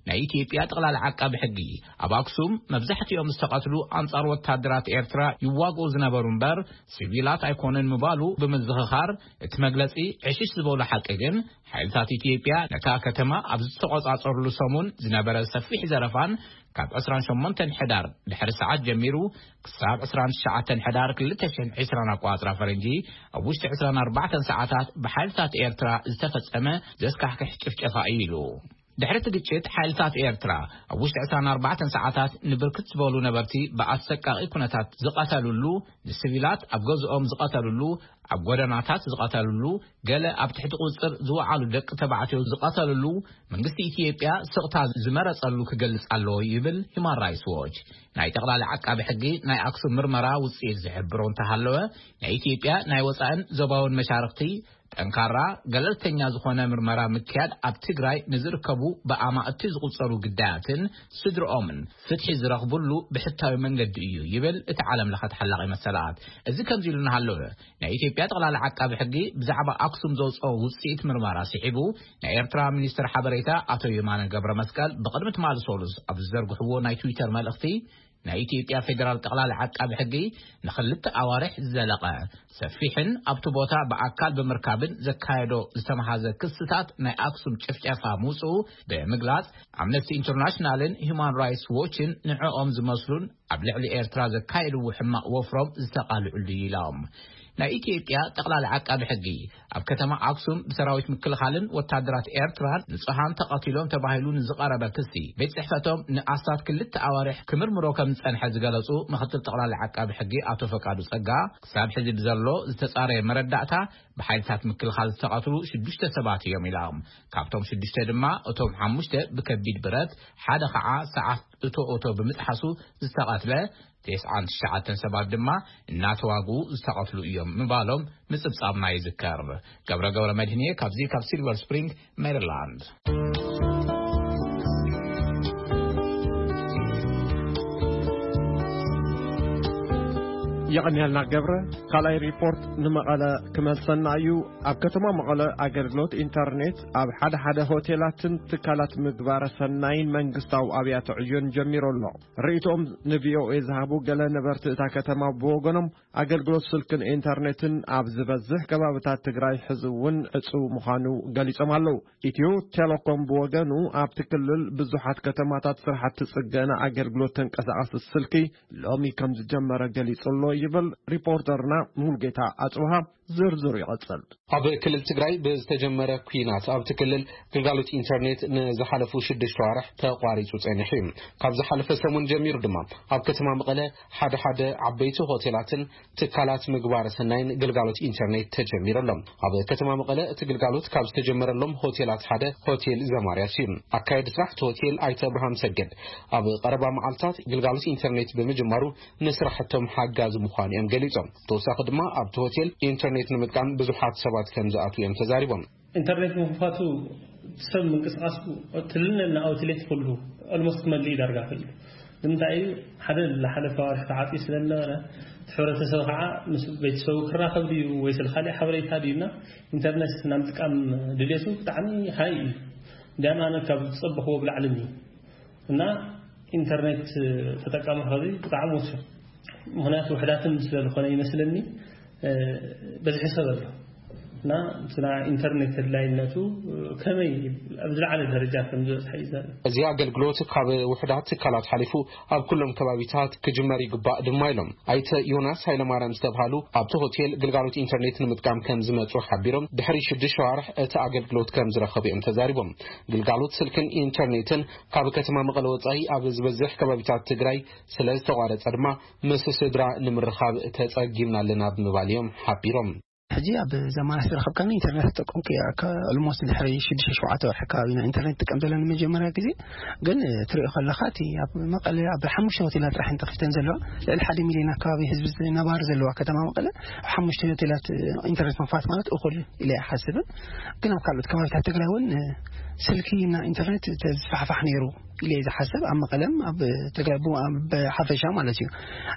ናይ ኢትዮጵያ ጠቕላሊ ዓቃቢ ሕጊ ኣብ ኣክሱም መብዛሕትኦም ዝተቐትሉ ኣንጻር ወታደራት ኤርትራ ይዋግኡ ዝነበሩ እምበር ሲቪላት ኣይኮኑን ምባሉ ብምዝኽኻር፣ እቲ መግለጺ ዕሽሽ ዝበሉ ሓቂ ግን፣ ሓይልታት ኢትዮጵያ ነታ ከተማ ኣብ ዝተቖጻጸሩሉ ሰሙን ዝነበረ ሰፊሕ ዘረፋን ካብ ዕስራን ሸሞንተን ሕዳር ድሕሪ ሰዓት ጀሚሩ ክሳብ ዕስራን ትሽዓተን ሕዳር ክልተ ሽሕን ዕስራን ኣቆጻጽራ ፈረንጂ፣ ኣብ ውሽጢ ዕስራን ኣርባዕተን ሰዓታት ብሓይልታት ኤርትራ ዝተፈጸመ ዘስካሕክሕ ጭፍጨፋ እዩ ኢሉ። ድሕሪ እቲ ግጭት፣ ሓይልታት ኤርትራ ኣብ ውሽጢ ዕስራን ኣርባዕተን ሰዓታት ንብርክት ዝበሉ ነበርቲ ብኣሰቃቒ ኩነታት ዝቐተሉሉ፣ ንሲቪላት ኣብ ገዝኦም ዝቐተሉሉ፣ ኣብ ጎደናታት ዝቐተሉሉ፣ ገለ ኣብ ትሕቲ ቁጽጽር ዝወዓሉ ደቂ ተባዕትዮ ዝቐተሉሉ፣ መንግስቲ ኢትዮጵያ ስቕታ ዝመረጸሉ ክገልጽ ኣለዎ ይብል ሂማን ራይትስ ዎች። ናይ ጠቕላሊ ዓቃቢ ሕጊ ናይ ኣክሱም ምርመራ ውጽኢት ዝሕብሮ እንተሃለወ፣ ናይ ኢትዮጵያ ናይ ወጻእን ዞባውን መሻርኽቲ ጠንካራ፣ ገለልተኛ ዝኾነ ምርመራ ምክያድ ኣብ ትግራይ ንዝርከቡ ብኣማእቲ ዝቑጸሩ ግዳያትን ስድርኦምን ፍትሒ ዝረኽብሉ ብሕታዊ መንገዲ እዩ ይብል እቲ ዓለም ለኸ ተሓላቒ መሰላት። እዚ ከምዚ ኢሉ እናሃለወ፣ ናይ ኢትዮጵያ ጠቕላላ ዓቃቢ ሕጊ ብዛዕባ ኣክሱም ዘውፅኦ ውፅኢት ምርመራ ስዒቡ፣ ናይ ኤርትራ ሚኒስትር ሓበሬታ ኣቶ የማነ ገብረ መስቀል ብቕድሚ ትማሊ ሰሉስ ኣብ ዝዘርግሕዎ ናይ ትዊተር መልእኽቲ፣ ናይ ኢትዮጵያ ፌዴራል ጠቕላላ ዓቃቢ ሕጊ ንኽልተ ኣዋርሕ ዝዘለቐ ሰፊሕን ኣብቲ ቦታ ብኣካል ብምርካብን ዘካየዶ ዝተመሃዘ ክስታት ናይ ኣክሱም ጭፍጨፋ ምውፅኡ ብምግላፅ፣ ኣምነስቲ ኢንተርናሽናልን ሂውማን ራይትስ ዎችን ንዕኦም ዝመስሉን ኣብ ልዕሊ ኤርትራ ዘካየድዎ ሕማቕ ወፍሮም ዝተቓልዑሉ ኢሎም። ናይ ኢትዮጵያ ጠቕላሊ ዓቃቢ ሕጊ ኣብ ከተማ ኣክሱም ብሰራዊት ምክልኻልን ወታደራት ኤርትራን ንጹሃን ተቐቲሎም ተባሂሉ ንዝቐረበ ክሲ ቤት ጽሕፈቶም ንኣስታት ክልተ ኣዋርሕ ክምርምሮ ከም ዝጸንሐ ዝገለጹ ምክትል ጠቕላሊ ዓቃቢ ሕጊ ኣቶ ፈቃዱ ጸጋ፣ ክሳብ ሕዚ ብዘሎ ዝተጻረየ መረዳእታ ብሓይልታት ምክልኻል ዝተቐትሉ ሽዱሽተ ሰባት እዮም ኢሎም። ካብቶም ሽዱሽተ ድማ እቶም ሓሙሽተ ብከቢድ ብረት፣ ሓደ ኸዓ ሰዓት እቶ ኦቶ ብምጥሓሱ ዝተቐትለ ተስዓን ትሽዓተን ሰባት ድማ እናተዋግኡ ዝተቐትሉ እዮም ምባሎም ምጽብጻብና ይዝከር። ገብረ ገብረ መድህንየ ካብዚ ካብ ሲልቨር ስፕሪንግ ሜሪላንድ። የቐንያልና ገብረ። ካልኣይ ሪፖርት ንመቐለ ክመልሰና እዩ። ኣብ ከተማ መቐለ ኣገልግሎት ኢንተርኔት ኣብ ሓደ ሓደ ሆቴላትን ትካላት ምግባረ ሰናይን መንግስታዊ ኣብያተ ዕዮን ጀሚሩ ኣሎ። ርእይቶኦም ንቪኦኤ ዝሃቡ ገለ ነበርቲ እታ ከተማ ብወገኖም፣ ኣገልግሎት ስልክን ኢንተርኔትን ኣብ ዝበዝሕ ከባብታት ትግራይ ሕዚ እውን ዕጹው ምዃኑ ገሊጾም ኣለዉ። ኢትዮ ቴሌኮም ብወገኑ፣ ኣብቲ ክልል ብዙሓት ከተማታት ስራሕቲ ጽገና ኣገልግሎት ተንቀሳቓሲ ስልኪ ሎሚ ከም ዝጀመረ ገሊጹ ኣሎ ይብል ሪፖርተርና ሙሉጌታ ኣጽብሃ። ዝርዝሩ ይቐጽል። ኣብ ክልል ትግራይ ብዝተጀመረ ኲናት ኣብቲ ክልል ግልጋሎት ኢንተርኔት ንዝሓለፉ ሽዱሽተ ዋርሕ ተቋሪጹ ጸኒሑ እዩ። ካብ ዝሓለፈ ሰሙን ጀሚሩ ድማ ኣብ ከተማ መቐለ ሓደ ሓደ ዓበይቲ ሆቴላትን ትካላት ምግባረ ሰናይን ግልጋሎት ኢንተርኔት ተጀሚሩ ኣሎ። ኣብ ከተማ መቐለ እቲ ግልጋሎት ካብ ዝተጀመረሎም ሆቴላት ሓደ ሆቴል ዘማርያስ እዩ። ኣካየዲ ስራሕ እቲ ሆቴል ኣይተ ኣብርሃም ሰገድ ኣብ ቀረባ መዓልታት ግልጋሎት ኢንተርኔት ብምጅማሩ ንስራሕቶም ሓጋዚ ምዃኑ እዮም ገሊጾም። ተወሳኺ ድማ ኣብቲ ሆቴል ኢንተርኔት ንምጥቃም ብዙሓት ሰባት ከም ዝኣትዉ እዮም ተዛሪቦም። ኢንተርኔት ምኽፋቱ ሰብ ምንቅስቃሱ ትልነና ኣውትሌት ኩሉ ኦልሞስት ክመልእ ይዳርጋ ክእል። ንምንታይ እዩ? ሓደ ዝሓለፈ ኣዋርሕ ተዓፅዩ ስለ ዝነበረ፣ እቲ ሕብረተሰብ ከዓ ምስ ቤተሰቡ ክራኸብ ድዩ ወይስ ካልእ ሓበሬታ ድዩና ኢንተርኔት ናብ ምጥቃም ድልየቱ ብጣዕሚ ሃይ እዩ። እንዲያም ኣነ ካብ ዝፀበኽዎ ብላዕሊ እዩ። እና ኢንተርኔት ተጠቃሚ ኸዚ ብጣዕሚ ወሲኹ። ምኽንያቱ ውሕዳትን ስለ ዝኾነ ይመስለኒ፣ እ፣ በዝሒ ሰብ ኣሎ። እና እቲ ናይ ኢንተርኔት ተድላይነቱ፣ እ፣ ከመይ ኣብ ዝለዓለ ደረጃ ከም ዝበፅሐ እዩ ዘርኢ። እዚ ኣገልግሎት ካብ ውሕዳት ትካላት ሓሊፉ ኣብ ኩሎም ከባቢታት ክጅመር ይግባእ ድማ ኢሎም። ኣይተ ዮናስ ሃይለማርያም ዝተብሃሉ ኣብቲ ሆቴል ግልጋሎት ኢንተርኔት ንምጥቃም ከም ዝመጹ ሓቢሮም፣ ድሕሪ ሽዱሽተ ኣዋርሕ እቲ ኣገልግሎት ከም ዝረኸቡ እዮም ተዛሪቦም። ግልጋሎት ስልክን ኢንተርኔትን ካብ ከተማ መቐለ ወጻኢ ኣብ ዝበዝሕ ከባቢታት ትግራይ ስለ ዝተቋረጸ ድማ ምስ ስድራ ንምርኻብ ተጸጊምና ኣለና ብምባል እዮም ሓቢሮም። ሕጂ ኣብ ዘማና ዝረኸብካኒ ኢንተርኔት ተጠቀምኩ እየ። ከ-፣ ኦልሞስት ድሕሪ ሽዱሽተ ሸውዓተ ወርሒ ኣከባቢ ኢና ኢንተርኔት ጥቀም ዘለና ንመጀመርያ ግዜ። ግን፣ እ፣ ትሪኦ ከለኻ እቲ ኣብ መቐለ ኣብ ሓሙሽተ ሆቴላት ጥራሕ እየን ተኸፊተን ዘለዋ። ልዕሊ ሓደ ሚልዮን ኣከባቢ ህዝቢ ነባሪ ዘለዋ ከተማ መቐለ ኣብ ሓሙሽተ ሆቴላት፣ እ፣ ኢንተርኔት ምኽፋት ማለት እኹል ኢለ ኣይሓስብን። ግን ኣብ ካልኦት ከባቢታት ትግራይ እውን፣ እ፣ ስልኪ እና ኢንተርኔት ተዝስፋሕፋሕ ነይሩ ኢለ እየ ዝሓስብ። ኣብ መቐለም ኣብ ትግራይ ቡ-፣ ኣብ ሓፈሻ ማለት እዩ።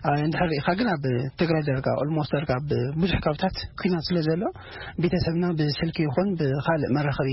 እ፣ እንድሕር ርኢኻ ግን ኣብ ትግራይ ደርጋ ኦልሞስት ደርጋ ኣብ ብዙሕ ከባቢታት ኲናት ስለ ዘሎ ቤተሰብና ብስልኪ ይኹን ብኻልእ መራኸቢ፣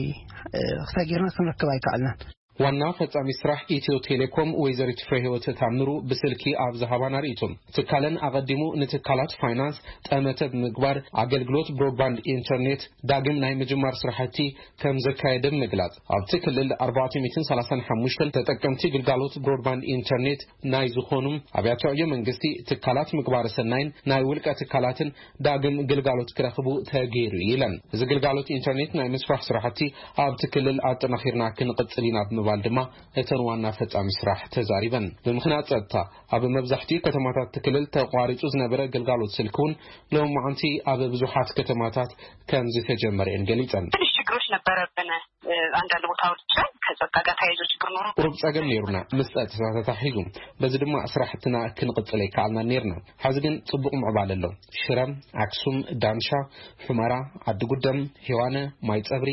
እ፣ ክሳይ ጌርና ክንረክብ ኣይከኣልናን። ዋና ፈጻሚ ስራሕ ኢትዮ ቴሌኮም ወይዘሪት ፍሬህይወት ታምሩ ብስልኪ ኣብ ዝሃባና ርእይቶ፣ ትካለን ኣቐዲሙ ንትካላት ፋይናንስ ጠመተ ብምግባር ኣገልግሎት ብሮድባንድ ኢንተርኔት ዳግም ናይ ምጅማር ስራሕቲ ከም ዘካየደ ብምግላጽ፣ ኣብቲ ክልል ኣርባዕተ ሚእትን ሰላሳን ሓሙሽተን ተጠቀምቲ ግልጋሎት ብሮድባንድ ኢንተርኔት ናይ ዝኾኑ ኣብያተ ዕዮ መንግስቲ፣ ትካላት ምግባረ ሰናይን ናይ ውልቀ ትካላትን ዳግም ግልጋሎት ክረኽቡ ተገይሩ እዩ ኢለን። እዚ ግልጋሎት ኢንተርኔት ናይ ምስፋሕ ስራሕቲ ኣብቲ ክልል ኣጠናኺርና ክንቕጽል ኢና ብምባል ድማ እተን ዋና ፈጻሚ ስራሕ ተዛሪበን። ብምኽንያት ጸጥታ ኣብ መብዛሕትኡ ከተማታት እቲ ክልል ተቋሪጹ ዝነበረ ግልጋሎት ስልኪ እውን ሎማዓንቲ ኣብ ብዙሓት ከተማታት ከም ዝተጀመረ እየን ገሊጸን። ትንሽ ችግር ችግሮች ነበረብን። አንዳንድ ቦታዎች ላይ ከጸጥታ ጋር ተያይዞ ችግር ኖሮ ቁሩብ ጸገም ነይሩና፣ ምስ ጸጥታ ተታሒዙ። በዚ ድማ ስራሕትና ክንቕጽል ኣይከኣልናን ነይርና። ሕዚ ግን ጽቡቕ ምዕባለ ኣሎ። ሽረ፣ ኣክሱም፣ ዳንሻ፣ ሑመራ፣ ዓዲ ጉደም፣ ሄዋነ፣ ማይ ጸብሪ፣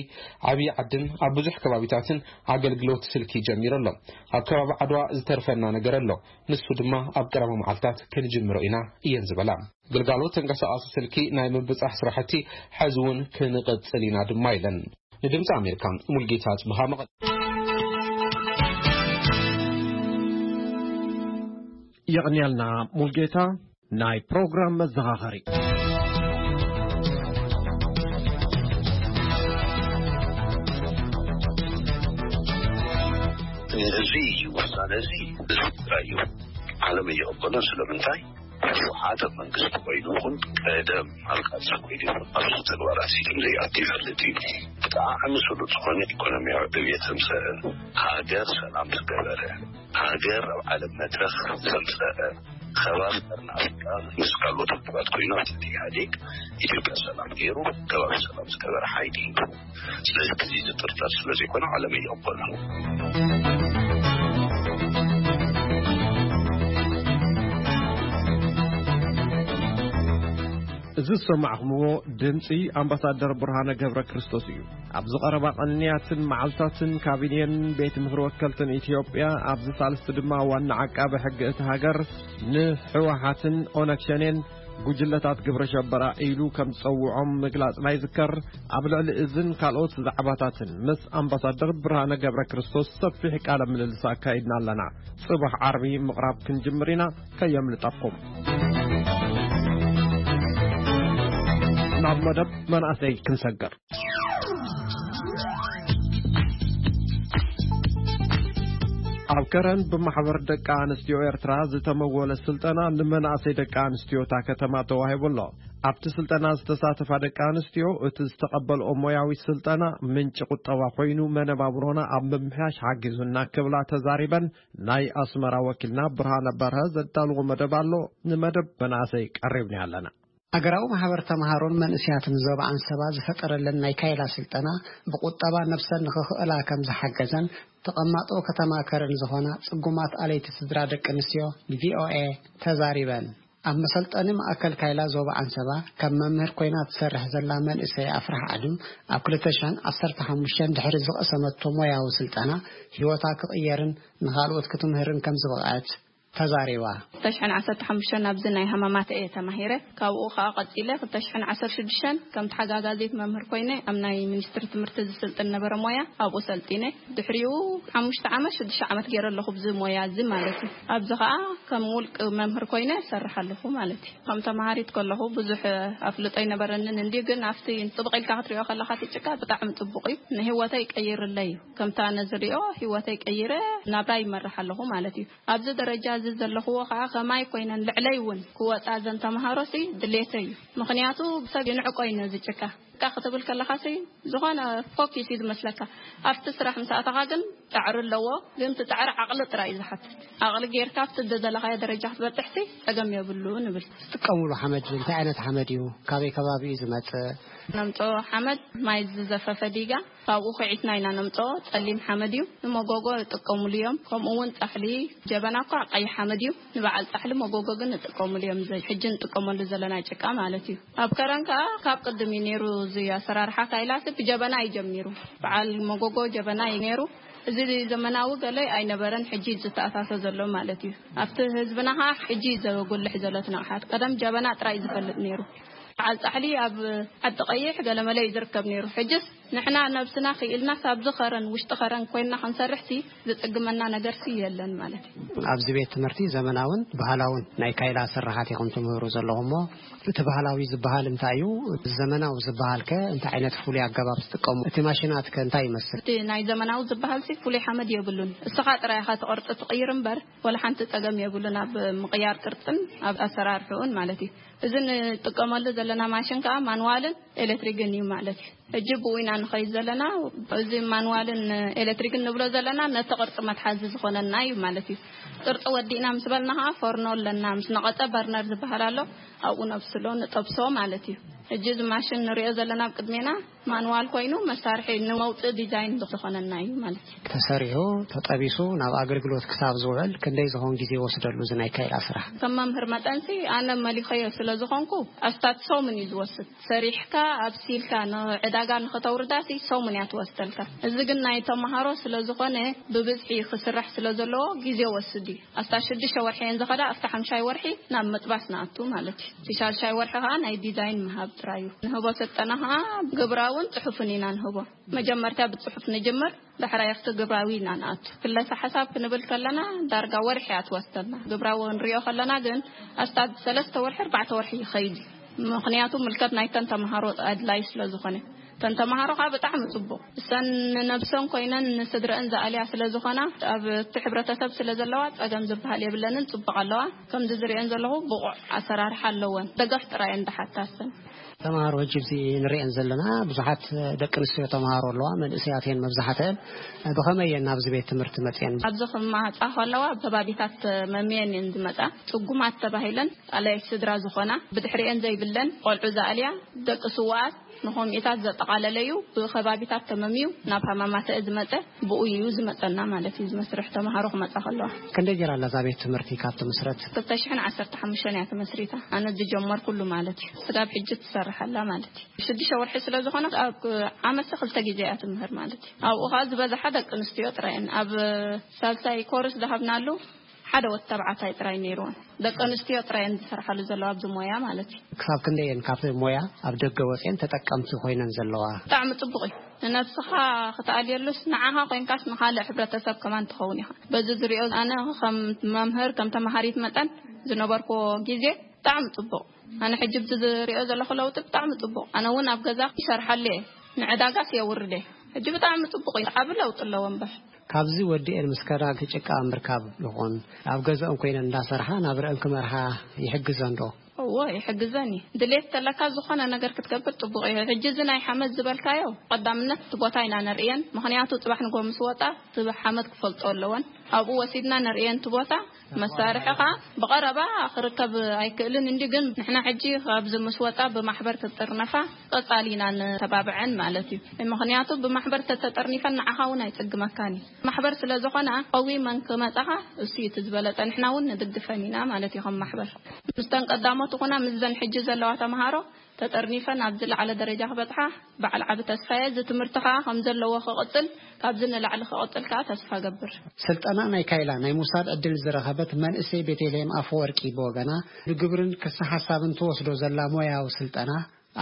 ዓብዪ ዓድን ኣብ ብዙሕ ከባቢታትን ኣገልግሎት ስልኪ ጀሚሩ ኣሎ። ኣብ ከባቢ ዓድዋ ዝተርፈና ነገር ኣሎ። ንሱ ድማ ኣብ ቀረባ መዓልታት ክንጅምሮ ኢና እየን ዝበላ። ግልጋሎት ተንቀሳቓሲ ስልኪ ናይ ምብጻሕ ስራሕቲ ሕዚ እውን ክንቕጽል ኢና ድማ ኢለን። ንድምፂ ኣሜሪካ ሙልጌታ ጽብሃ መቐለ። የቕንያልና ሙልጌታ። ናይ ፕሮግራም መዘኻኸሪ። እዚ ውሳነ እዚ ህዝቢ ትግራይ እዩ። ዓለም እየቕበሎ። ስለምንታይ? ህወሓት ኣብ መንግስቲ ኮይኑ ይኹን ቀደም ኣብ ቃልሲ ኮይኑ ይኹን ኣብዚ ተግባራት እዚ ከም ዘይኣቱ ይፈልጥ እዩ። ብጣዕሚ ስሉጥ ዝኾነ ኢኮኖሚያዊ ዕብየት ዘምፀአ፣ ሃገር ሰላም ዝገበረ፣ ሃገር ኣብ ዓለም መድረኽ ዘምፀአ፣ ከባቢ ቀርኒ ኣፍሪቃ ምስ ካልኦት ውድባት ኮይኑ ኣብ ትሕቲ ኢህኣዴግ ኢትዮጵያ ሰላም ገይሩ ከባቢ ሰላም ዝገበረ ሓይሊ እዩ። ስለዚ እዚ ዝጥርጠር ስለዘይኮነ ዓለም እየቕበሎ። እዚ ዝሰማዕኹምዎ ድምፂ ኣምባሳደር ብርሃነ ገብረ ክርስቶስ እዩ። ኣብዚ ቀረባ ቀንያትን መዓልታትን ካቢኔን ቤት ምኽሪ ወከልትን ኢትዮጵያ፣ ኣብዚ ሳልስቲ ድማ ዋና ዓቃቢ ሕጊ እቲ ሃገር ንህወሓትን ኦነግ ሸኔን ጉጅለታት ግብረ ሸበራ ኢሉ ከም ዝጸውዖም ምግላጽና ይዝከር። ኣብ ልዕሊ እዝን ካልኦት ዛዕባታትን ምስ ኣምባሳደር ብርሃነ ገብረ ክርስቶስ ሰፊሕ ቃለ ምልልስ ኣካይድና ኣለና። ጽባሕ ዓርቢ ምቕራብ ክንጅምር ኢና፣ ከየምልጠኩም። ናብ መደብ መናእሰይ ክንሰግር። ኣብ ከረን ብማሕበር ደቂ ኣንስትዮ ኤርትራ ዝተመወለ ስልጠና ንመናእሰይ ደቂ ኣንስትዮ እታ ከተማ ተዋሂቡ ኣሎ። ኣብቲ ስልጠና ዝተሳተፋ ደቂ ኣንስትዮ፣ እቲ ዝተቐበልኦ ሞያዊ ስልጠና ምንጪ ቁጠባ ኮይኑ መነባብሮና ኣብ ምምሕያሽ ሓጊዙና ክብላ ተዛሪበን፣ ናይ ኣስመራ ወኪልና ብርሃነ በርሀ ዘዳልዎ መደብ ኣሎ። ንመደብ መናእሰይ ቀሪብና ኣለና። ሃገራዊ ማሕበር ተምሃሮን መንእሰያትን ዞባ ዓንሰባ ዝፈጠረለን ናይ ካይላ ስልጠና ብቁጠባ ነብሰን ንኽኽእላ ከም ዝሓገዘን ተቐማጦ ከተማ ከረን ዝኾና ጽጉማት ኣለይቲ ስድራ ደቂ ኣንስትዮ ንቪኦኤ ተዛሪበን። ኣብ መሰልጠኒ ማእከል ካይላ ዞባ ዓንሰባ ከም መምህር ኮይና ትሰርሕ ዘላ መንእሰይ ኣፍራሕ ዓድም ኣብ ክልተ ሽሕን ዓሰርተ ሓሙሽተን ድሕሪ ዝቐሰመቶ ሞያዊ ስልጠና ህይወታ ክቕየርን ንኻልኦት ክትምህርን ከም ዝበቕዐት ተዛሪባ። ክልተ ሽሕን ዓሰርተ ሓሙሽተን ኣብዚ ናይ ሃማማተ እየ ተማሂረ። ካብኡ ኸኣ ቀጺለ ክልተ ሽሕን ዓሰርተ ሽዱሽተን ከም ተሓጋጋዚት መምህር ኮይነ ኣብ ናይ ሚኒስትሪ ትምህርቲ ዝስልጥን ነበረ ሞያ ኣብኡ ሰልጢነ። ድሕሪኡ ሓሙሽተ ዓመት ሽዱሽተ ዓመት ገይረ ኣለኹ ብዚ ሞያ እዚ ማለት እዩ። ኣብዚ ኸኣ ከም ውልቂ መምህር ኮይነ እሰርሕ ኣለኹ ማለት እዩ። ከም ተማሃሪት ከለኹ ብዙሕ ኣፍልጦ ኣይነበረንን እንዲ ግን ኣብቲ ጽብቕ ኢልካ ክትሪኦ ከለኻ እቲ ጭቃ ብጣዕሚ ጽቡቕ እዩ። ንህይወተይ ቀይርለይ እዩ። ከምታ ነዝሪኦ ህይወተይ ቀይረ ናብራ ይመርሕ ኣለኹ ማለት እዩ። ኣብዚ ደረጃ እዚ ዘለኽዎ ኸዓ ከማይ ኮይነን ልዕለይ እውን ክወፃ ዘን ተምሃሮሲ ድሌተይ እዩ። ምኽንያቱ ብሰብ ይንዕቆ እዩ ነዚ ጭቃ። ጭቃ ክትብል ከለኻሲ ዝኾነ ፎኪስ እዩ ዝመስለካ። ኣብቲ ስራሕ ምስ ኣተኻ ግን ፃዕሪ ኣለዎ፣ ግን እቲ ፃዕሪ ዓቕሊ ጥራይ እዩ ዝሓትት። ዓቕሊ ጌርካ ኣብቲ ዝደለኻዮ ደረጃ ክትበፅሕሲ ፀገም የብሉ ንብል። ትጥቀምሉ ሓመድ እንታይ ዓይነት ሓመድ እዩ? ካበይ ከባቢ እዩ ዝመፅእ? ነምፅኦ ሓመድ ማይ ዝዘፈፈ ዲጋ ካብኡ ኺዒትና ኢና ነምፅኦ። ፀሊም ሓመድ እዩ። ንመጎጎ ይጥቀሙሉ እዮም። ከምኡ እውን ፃሕሊ፣ ጀበና እኳ ቀይሕ ሓመድ እዩ። ንበዓል ፃሕሊ መጎጎ ግን ንጥቀሙሉ እዮም። እዚ ሕጂ ንጥቀመሉ ዘለና ጭቃ ማለት እዩ። ኣብ ከረን ከዓ ካብ ቅድም እዩ ነይሩ። እዚ ኣሰራርሓ ካይላሲ ብጀበና እዩ ጀሚሩ። በዓል መጎጎ ጀበና እዩ ነይሩ። እዚ ዘመናዊ ገለ ኣይነበረን። ሕጂ እዩ ዝተኣታቶ ዘሎ ማለት እዩ። ኣብቲ ህዝብና ከዓ ሕጂ እዩ ዘጉልሕ ዘሎ እቲ ንቕሓት። ቀደም ጀበና ጥራይ እዩ ዝፈልጥ ነይሩ። በዓል ፃሕሊ ኣብ ዓዲ ቀይሕ ገለመለ እዩ ዝርከብ ነይሩ። ሕጅስ ንሕና ነብስና ክኢልናስ ኣብዚ ኸረን ውሽጢ ኸረን ኮይንና ክንሰርሕሲ ዝፅግመና ነገርሲ የለን ማለት እዩ። ኣብዚ ቤት ትምህርቲ ዘመናውን ባህላውን ናይ ካይላ ስራሓት ኢኹም ትምህሩ ዘለኹም እሞ እቲ ባህላዊ ዝበሃል እንታይ እዩ? ዘመናዊ ዝበሃል ከ እንታይ ዓይነት ፍሉይ ኣገባብ ትጥቀሙ? እቲ ማሽናት ከ እንታይ ይመስል? እቲ ናይ ዘመናዊ ዝበሃልሲ ፍሉይ ሓመድ የብሉን። እስኻ ጥራይ ኢኻ እቲ ቅርፂ ትቕይር እምበር ወላ ሓንቲ ፀገም የብሉን ኣብ ምቕያር ቅርፅን ኣብ ኣሰራርሕኡን ማለት እዩ። እዚ ንጥቀመሉ ዘለና ማሽን ከዓ ማንዋልን ኤሌክትሪክን እዩ ማለት እዩ። ሕጂ ብኡ ኢና ንኸይድ ዘለና። እዚ ማንዋልን ኤሌክትሪክን ንብሎ ዘለና ነቲ ቅርፂ መትሓዚ ዝኾነና እዩ ማለት እዩ። ቅርፂ ወዲእና ምስ በልና ከዓ ፎርኖ ኣለና፣ ምስ ነቐፀ በርነር ዝበሃል ኣሎ፣ ኣብኡ ነብስሎ ንጠብሶ ማለት እዩ። ሕጂ እዚ ማሽን ንሪኦ ዘለና ኣብ ቅድሜና ማንዋል ኮይኑ መሳርሒ ንመውፅእ ዲዛይን ዝኾነና እዩ ማለት እዩ። ተሰሪሑ ተጠቢሱ ናብ ኣገልግሎት ክሳብ ዝውዕል ክንደይ ዝኾን ግዜ ይወስደሉ እዚ ናይ ካይላ ስራሕ? ከም መምህር መጠንሲ ኣነ መሊኸዮ ስለ ዝኾንኩ ኣስታት ሰሙን እዩ ዝወስድ። ሰሪሕካ ኣብሲልካ ንዕዳጋ ንኸተውርዳሲ ሰሙን እያ ትወስደልካ። እዚ ግን ናይ ተምሃሮ ስለ ዝኾነ ብብዝሒ ክስራሕ ስለ ዘለዎ ግዜ ወስድ እዩ። ኣስታት ሽዱሽተ ወርሒ እየን ዝኸዳ፣ ኣብቲ ሓምሻይ ወርሒ ናብ ምጥባስ ንኣቱ ማለት እዩ። እቲ ሻልሻይ ወርሒ ከዓ ናይ ዲዛይን ምሃብ ጥራይ እዩ። ንህቦ ስልጠና ከዓ ግብራውን ፅሑፍን ኢና ንህቦ። መጀመርታ ብፅሑፍ ንጅምር፣ ዳሕራይ ኣብቲ ግብራዊ ኢና ንኣቱ። ክለሳ ሓሳብ ክንብል ከለና ዳርጋ ወርሒ እያ ትወስደልና። ግብራዊ ክንሪኦ ከለና ግን ኣስታት ሰለስተ ወርሒ ኣርባዕተ ወርሒ ይኸይድ እዩ። ምኽንያቱ ምልከት ናይተን ተምሃሮ ኣድላይ ስለ ዝኾነ። እተን ተምሃሮ ከዓ ብጣዕሚ ፅቡቕ፣ እሰን ንነብሰን ኮይነን ንስድረአን ዝኣልያ ስለ ዝኾና፣ ኣብቲ ሕብረተሰብ ስለ ዘለዋ ፀገም ዝበሃል የብለንን። ፅቡቕ ኣለዋ። ከምዚ ዝሪአን ዘለኹ ብቑዕ ኣሰራርሓ ኣለወን። ደገፍ ጥራይ እየን ዝሓታ እሰን። ተምሃሮ ሕጂ እዚ ንሪአን ዘለና ብዙሓት ደቂ ኣንስትዮ ተምሃሮ ኣለዋ፣ መንእሰያት እየን መብዛሕትአን። ብኸመይ እየን ናብዚ ቤት ትምህርቲ መፅየን? ኣብዚ ክመፃ ከለዋ ኣብ ከባቢታት መምየን እየን ዝመፃ። ፅጉማት ተባሂለን፣ ኣላይ ስድራ ዝኾና፣ ብድሕሪአን ዘይብለን፣ ቆልዑ ዝኣልያ፣ ደቂ ስውኣት፣ ንኸምኡታት ዘጠቓለለ እዩ። ብኸባቢታት ተመምዩ ናብ ሃማማተአ ዝመፀ፣ ብኡ እዩ ዝመፀና ማለት እዩ። እዚ መስርሕ ተምሃሮ ክመፃ ከለዋ። ክንደይ ጌራ ኣላ እዛ ቤት ትምህርቲ ካብ ትምስረት? ክልተ ሽሕን ዓሰርተ ሓሙሽተን እያ ተመስሪታ። ኣነ ዝጀመርኩሉ ማለት እዩ። ስጋብ ሕጂ ትሰርሕ ኣላ ማለት እዩ። ሽዱሽተ ወርሒ ስለ ዝኾነ ኣብ ዓመት ክልተ ግዜ እያ ትምህር ማለት እዩ። ኣብኡ ኸዓ ዝበዝሓ ደቂ ኣንስትዮ ጥራይ እየን። ኣብ ሳልሳይ ኮርስ ዝሃብናሉ ሓደ ወዲ ተባዕታይ ጥራይ ነይርወን። ደቂ ኣንስትዮ ጥራይ እየን ዝሰርሓሉ ዘለዋ ኣብዚ ሞያ ማለት እዩ። ክሳብ ክንደይ እየን ካብቲ ሞያ ኣብ ደገ ወፅየን ተጠቀምቲ ኮይነን ዘለዋ? ብጣዕሚ ፅቡቕ እዩ። ንነብስኻ ክትኣልየሉስ ንዓኻ ኮይንካስ ንኻልእ ሕብረተሰብ ከማን ትኸውን ኢኻ። በዚ ዝሪኦ ኣነ ከም መምህር፣ ከም ተምሃሪት መጠን ዝነበርኩዎ ግዜ ብጣዕሚ ፅቡቕ። ኣነ ሕጂ ብዚ ዝሪኦ ዘለኹ ለውጢ ብጣዕሚ ፅቡቕ። ኣነ እውን ኣብ ገዛ ይሰርሓሉ እየ፣ ንዕዳጋስ የውርድ እየ። ሕጂ ብጣዕሚ ፅቡቕ እዩ፣ ዓቢ ለውጢ ኣለዎ እምበር። ካብዚ ወዲኤን ምስ ከዳ እቲ ጭቃ ምርካብ ይኹን ኣብ ገዛኦም ኮይነን እንዳሰርሓ ናብረአን ክመርሓ ይሕግዘን ዶ? እዎ፣ ይሕግዘን እዩ። ድሌት ተለካ ዝኾነ ነገር ክትገብር ፅቡቕ እዩ። ሕጂ እዚ ናይ ሓመድ ዝበልካዮ ቀዳምነት እቲ ቦታ ኢና ንርእየን፣ ምኽንያቱ ፅባሕ ንጎ ምስ ወጣ እቲ ሓመድ ክፈልጦ ኣለወን። ኣብኡ ወሲድና ንርእየን እቲ ቦታ። መሳርሒ ኸዓ ብቐረባ ክርከብ ኣይክእልን እንዲ፣ ግን ንሕና ሕጂ ካብዚ ምስ ወፃ ብማሕበር ክጥርነፋ ቀፃሊ ኢና ንተባብዐን ማለት እዩ። ምኽንያቱ ብማሕበር ተተጠርኒፈን ንዓኻ እውን ኣይፅግመካን እዩ። ማሕበር ስለ ዝኾና ቀዊመን ክመፃኻ እሱ እዩ እቲ ዝበለፀ። ንሕና እውን ንድግፈን ኢና ማለት እዩ። ከም ማሕበር ምስተን ቀዳሞት ኹና ምስዘን ሕጂ ዘለዋ ተምሃሮ ተጠርኒፈን ኣብ ዝለዓለ ደረጃ ክበፅሓ በዓል ዓቢ ተስፋ እየ። እዚ ትምህርቲ ኸዓ ከም ዘለዎ ክቕፅል፣ ካብዚ ንላዕሊ ክቕፅል ከኣ ተስፋ ገብር። ስልጠና ናይ ካይላ ናይ ምውሳድ ዕድል ዝረኸበት መንእሰይ ቤተልሔም ኣፈወርቂ ብወገና፣ ብግብርን ክሲ ሓሳብን ትወስዶ ዘላ ሞያዊ ስልጠና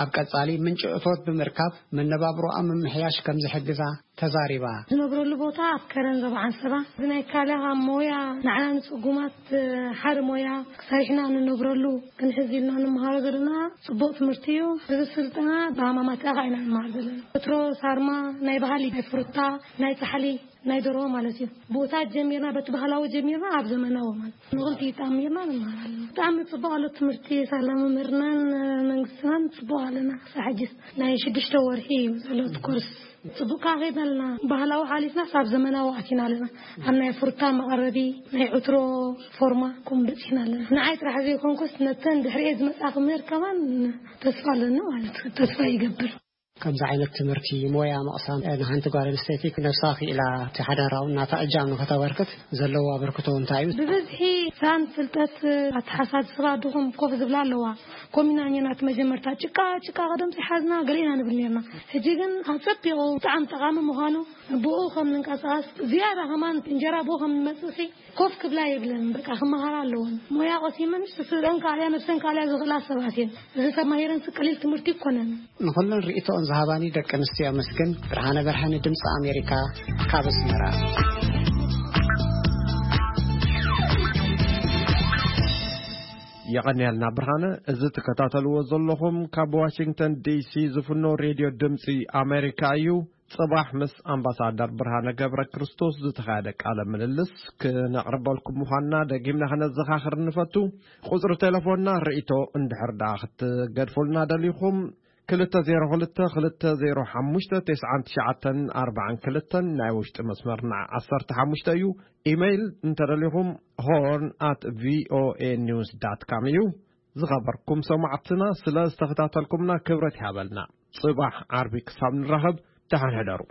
ኣብ ቀጻሊ ምንጪ እቶት ብምርካብ መነባብሮኣ ምምሕያሽ ከም ዝሕግዛ ተዛሪባ። ዝነብረሉ ቦታ ኣብ ከረን ዞባ ዓንሰባ፣ ብናይ ካልእ ኣብ ሞያ ንዓና ንጽጉማት ሓደ ሞያ ክሳሪሕና ንነብረሉ ክንሕዝ ኢልና ንምሃሮ ዘለና ጽቡቕ ትምህርቲ እዩ። እዚ ስልጠና ብሃማማት ኣኻ ኢና ንመሃር ዘለና። ወትሮ ሳርማ ናይ ባህሊ፣ ናይ ፍሩታ፣ ናይ ጻሕሊ፣ ናይ ደርሆ ማለት እዩ። ብኡታት ጀሚርና፣ በቲ ባህላዊ ጀሚርና ኣብ ዘመናዊ ማለት ንኽልቲኡ ተኣሚርና ንመሃር ኣለና። ብጣዕሚ ጽቡቕ ኣሎ ትምህርቲ። ሳላ መምህርናን መንግስትናን ጽቡቕ ኣለና። ክሳብ ሕጂስ ናይ ሽዱሽተ ወርሒ እዩ ዘሎ እቲ ኮርስ። ጽቡቕ ከኣ ከይድና ኣለና። ባህላዊ ሓሊፍናስ ኣብ ዘመናዊ ኣቲና ኣለና። ኣብ ናይ ፍሩታ መቐረቢ፣ ናይ ዕትሮ ፎርማ ከምኡ በጺሕና ኣለና። ንዓይ ጥራሕ ዘይኮንኩስ ነተን ድሕሪኤ ዝመጻ ክምህር ከማን ተስፋ ኣለኒ ማለት እዩ። ተስፋ ይገብር። ከምዚ ዓይነት ትምህርቲ ሞያ ምቕሳም ንሓንቲ ጓል ኣንስተይቲ ነብሳ ክኢላ እቲ ሓዳራውን ናታ እጃም ንኸተበርክት ዘለዎ ኣበርክቶ እንታይ እዩ? ብብዝሒ ሳን ፍልጠት ኣተሓሳስባ ድኹም ኮፍ ዝብላ ኣለዋ። ኮሚና ኔና እቲ መጀመርታ ጭቃ ጭቃ ቀደም ሓዝና ገለ ኢና ንብል ኔርና። ሕጂ ግን ኣጸቢቑ ብጣዕሚ ጠቓሚ ምዃኑ ብኡ ከም ንንቀሳቐስ ዝያዳ ከማን እንጀራ ብኡ ከም ንመጽእሲ ኮፍ ክብላ የብለን። በቃ ክመሃራ ኣለወን። ሞያ ቀሲመን ስስረን ካልያ ነብሰን ካልያ ዝኽእላ ሰባት እየን። እዚ ተማሂረን ቀሊል ትምህርቲ ይኮነን። ንኹለን ርእይቶኦን ዝሃባኒ ደቂ ኣንስትዮ ኣመስግን። ብርሃነ በርሀ ንድምፂ ኣሜሪካ ካብ ኣስመራ። የቐንያልና ብርሃነ። እዚ ትከታተልዎ ዘለኹም ካብ ዋሽንግተን ዲሲ ዝፍኖ ሬድዮ ድምፂ ኣሜሪካ እዩ። ጽባሕ ምስ ኣምባሳደር ብርሃነ ገብረ ክርስቶስ ዝተኻየደ ቃለ ምልልስ ክነቕርበልኩም ምዃንና ደጊምና ክነዘኻኽር ንፈቱ። ቁጽሪ ቴሌፎንና ርእይቶ እንድሕር ደኣ ክትገድፉልና ደሊኹም፣ ክልተ ዜሮ ክልተ፣ ክልተ ዜሮ ሓሙሽተ፣ ተስዓን ትሽዓተን ኣርባዓን ክልተን፣ ናይ ውሽጢ መስመርና ዓሰርተ ሓሙሽተ እዩ። ኢሜይል እንተደሊኹም ሆርን ኣት ቪኦኤ ኒውስ ዳት ካም እዩ። ዝኸበርኩም ሰማዕትና፣ ስለ ዝተኸታተልኩምና ክብረት ይሃበልና። ጽባሕ ዓርቢ ክሳብ ንራኸብ፣ ደሓን ሕደሩ።